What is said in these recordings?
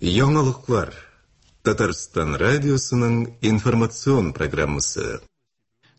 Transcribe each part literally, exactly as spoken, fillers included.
Яңалыклар. Татарстан радиосының информацион программасы.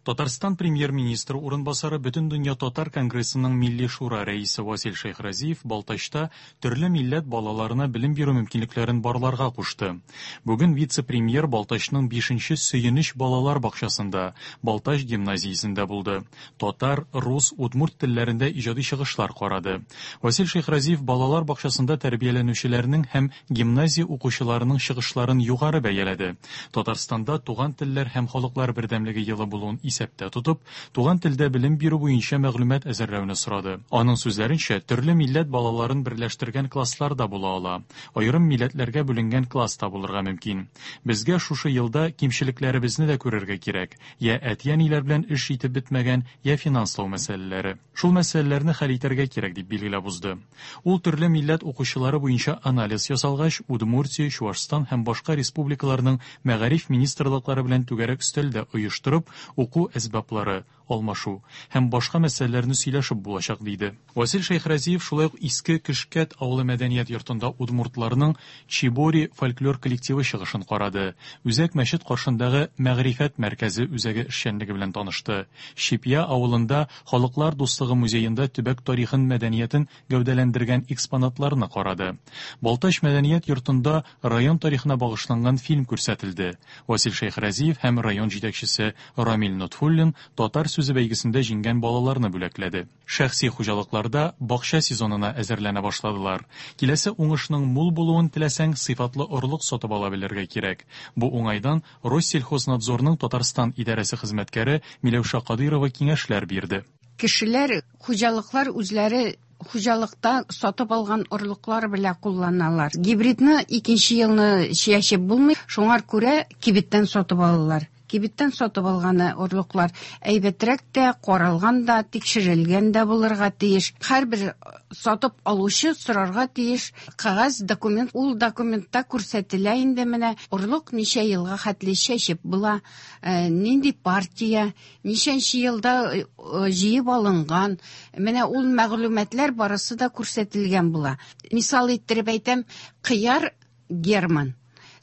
Татарстан премьер-министры урынбасары, Бөтендөнья татар конгрессының Милли шура рәисе Васил Шәйхразиев Балтачта төрле милләт балаларына белем бирү мөмкинлекләрен барларга кушты. Бүген вице-премьер Балтачның бишенче Сөенеч балалар бакчасында, Балтач гимназиясендә булды. Татар, рус, удмурт телләрендә иҗади чыгышлар карады. Васил Шәйхразиев балалар бакчасында тәрбияләнүчеләрнең һәм гимназия укучыларының чыгышларын югары бәяләде. Татарстанда туган телләр һәм халыклар бердәмлеге елы булуын исәптә тотып, туган телдә белем бирү буенча мәгълүмат әзерләүне сорады. Аның сүзләренчә, төрле милләт балаларын берләштергән класслар да була ала. Аерым милләтләргә бүленгән класс та булырга мөмкин. Безгә шушы елда кимчелекләребезне дә күрергә кирәк. Я әти-әниләр белән эш итеп бетмәгән, я финанслау мәсьәләләре. Шул мәсьәләләрне хәл итәргә кирәк, дип билгеләп узды. Ул төрле милләт укучылары буенча анализ ясалгач, Удмуртия, Чуашстан һәм башка республикаларның мәгариф министрлыклары белән түгәрәк өстәл дә оештырып, уку әсбаплары алмашу һәм башка мәсьәләләрне сөйләшеп булачак, диде. Васил Шәйхразиев шулай ук Иске Көшкәт авылы мәдәният йортында удмуртларның Чибори фольклор коллективы чыгышын карады. Үзәк мәчет каршындагы Мәгърифәт мәркәзе үзәге эшчәнлеге белән танышты. Чепья авылында Халыклар дуслыгы музеенда төбәк тарихын, мәдәниятен гәүдәләндергән экспонатларны карады. Балтач мәдәният йортында район тарихына багышланган фильм күрсәтелде. Васил Шәйхразиев һәм район җитәкчесе Рамил Нотфуллин татар сүзе бәйгесендә җиңгән балаларны бүләкләде. Шәхси хуҗалыкларда бакча сезонына әзерләнә башладылар. Киләсе уңышның мул булуын теләсәң, сыйфатлы орлык сатып ала белергә кирәк. Бу уңайдан Россельхознадзорның Татарстан идарәсе хезмәткәре Миләүшә Кадыйрова киңәшләр бирде. Кешеләр, хуҗалыклар үзләре хуҗалыкта сатып алган орлыклар белән кулланалар. Гибридны икенче елны чәчеп булмый, шуңар күрә кибеттән сатып алалар. Кибеттән сатып алганы орлыклар әйбәтрәк тә, каралган да, тикшерелгән дә булырга тиеш. Һәрбер сатып алучы сорарга тиеш кәгазь документ, ул документта күрсәтелә инде менә орлык ничә елга хәтле чәчеп була, э, нинди партия, ничәнче елда, э, җыеп алынган. Менә ул мәгълүматлар барысы да күрсәтелгән була. Мисал иттереп әйтәм, кыяр Герман.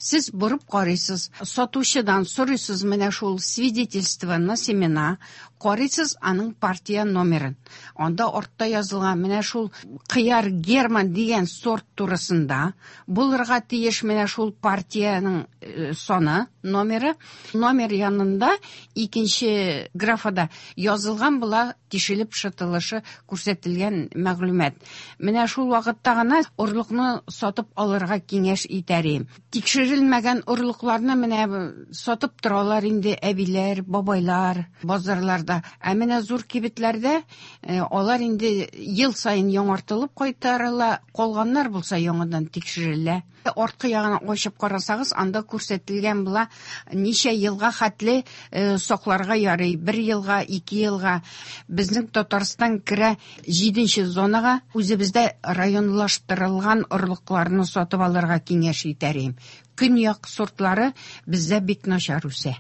Сез борып карыйсыз, сатучыдан сорыйсыз менә шул свидетельство на семена, карыйсыз аның партия номерын. Анда артта язылган менә шул кыяр Герман дигән сорт турысында булырга тиеш менә шул партиянең, э, саны, номеры. Номер янында икенче графада язылган була тишелеп шытылышы күрсәтелгән мәгълүмат. Менә шул вакытта гына орлыкны сатып алырга киңәш итәр идем. Тикшерелмәгән орлыкларны менә сатып торалар инде әбиләр, бабайлар базарларда. Ә менә зур кибетләрдә, э, алар инде ел саен яңартылып кайтарыла, калганнар булса яңадан тикшерелә. Арткы ягына ачып карасагыз, анда күрсәтелгән була ничә елга хәтле, э, сакларга ярый, бер елга, ике елга. Безнең Татарстан керә җиденче зонага, үзебездә районлаштырылган орлыкларны сатып алырга киңәш итәр идем. Көньяк сортлары бездә бик начар үсә.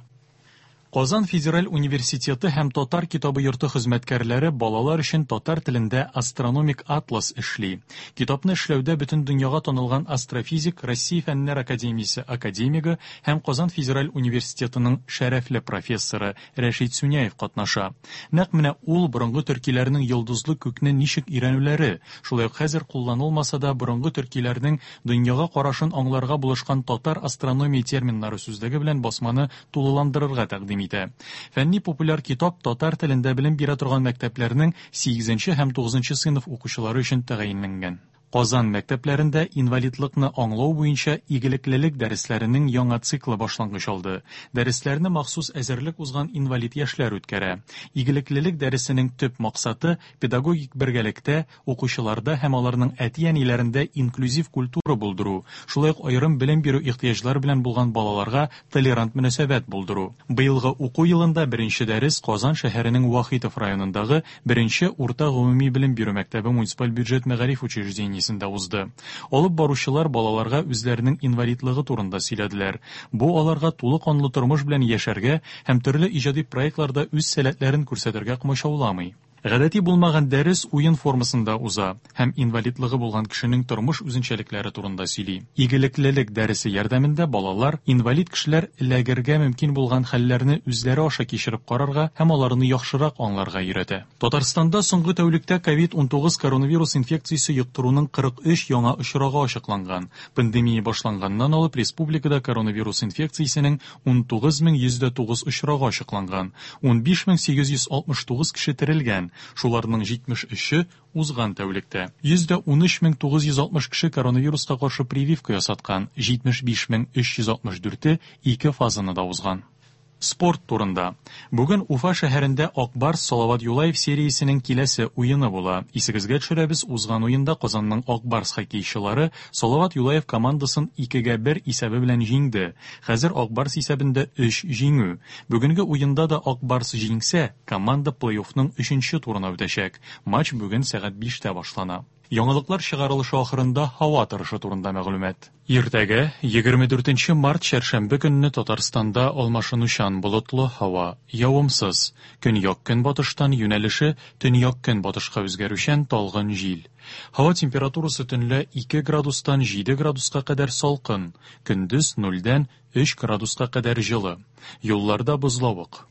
Казан федераль университеты һәм Татар китабы йорты хезмәткәрләре балалар өчен татар телендә астрономик атлас эшли. Китапны эшләүдә бөтен дөньяга танылган астрофизик, Россия Фәннәр академиясе академигы һәм Казан федераль университетының шәрәфле профессоры Рәшит Сюняев катнаша. Нәкъ менә ул борынгы төркиләрнең йолдызлы күкне ничек өйрәнүләре, шулай ук хәзер кулланылмаса да борынгы төркиләрнең дөньяга карашын аңларга булышкан татар астрономия терминнары сүзлеге белән басманы тулыландырырга тәкъдим итә. Фәнни популяр китап татар телендә белем бирә торган мәктәпләрнең сигезенче һәм тугызынчы сыйныф укучылары өчен тәгаенләнгән. Казан мәктәпләрендә инвалидлыкны аңлау буенча игелеклелек дәресләренең яңа циклы башлангыч алды. Дәресләрне махсус әзерлек узган инвалид яшьләр үткәрә. Игелеклелек дәресенең төп максаты педагогик бергәлектә укучыларда һәм аларның әти-әниләрендә инклюзив культура булдыру, шулай ук аерым белем бирү ихтыяҗлары белән булган балаларга толерант мөнәсәбәт булдыру. Быелгы уку елында беренче дәрес Казан шәһәренең Вахитов районындагы беренче урта гомуми белем бирү мәктәбе муниципаль бюджет мәгариф учреждениесендә узды. Алып баручылар балаларга үзләренең инвалидлыгы турында сөйләделәр. Бу аларга тулы канлы тормыш белән яшәргә һәм төрле иҗади проектларда үз сәләтләрен күрсәтергә комачауламый. Гадәти булмаган дәрес уен формасында уза һәм инвалидлыгы булган кешенең тормыш үзенчәлекләре турында сөйли. Игелеклелек дәресе ярдәмендә балалар инвалид кешеләр эләгергә мөмкин булган хәлләрне үзләре аша кичереп карарга һәм аларны яхшырак аңларга өйрәтә. Татарстанда соңгы тәүлектә ковид унтугыз коронавирус инфекциясе йоктыруның кырык өч яңа очрагы ачыкланган. Пандемия башланганнан алып республикада коронавирус инфекциясенең унтугыз мең йөз дә тугыз очрагы ачыкланган. Унбиш мең сигез йөз алтмыш тугыз кеше терелгән. Шуларның җитмеш өче узган тәүлектә. Йөз дә унөч мең тугыз йөз алтмыш кеше коронавируска каршы прививка ясаткан, җитмеш биш мең өч йөз алтмыш дүрте ике фазаны да узган. Спорт турында. Бүген Уфа шәһәрендә Ак Барс Салават Юлаев сериясенең киләсе уены була. Исегезгә төшерәбез, узган уенда Казанның Ак Барс хоккейчылары Салават Юлаев командасын икегә бер исәбе белән җиңде. Хәзер Ак Барс исәбендә өч җиңү. Бүгенге уенда да Ак Барс җиңсә, команда плей-оффның өченче турына үтәчәк. Матч бүген сәгать биштә башлана. Яңалыклар чыгарылышы ахырында һава торышы турында мәгълүмат. Иртәгә, егерме дүртенче март чәршәмбе көнне Татарстанда алмашынучан болытлы һава, явымсыз. Көньяк-көнбатыштан юнәлеше төньяк-көнбатышка үзгәрүчән талгын җил. Һава температурасы төнлә ике градустан җиде градуска кадәр салкын, көндез нульдән өч градуска кадәр җылы. Юлларда бозлавык.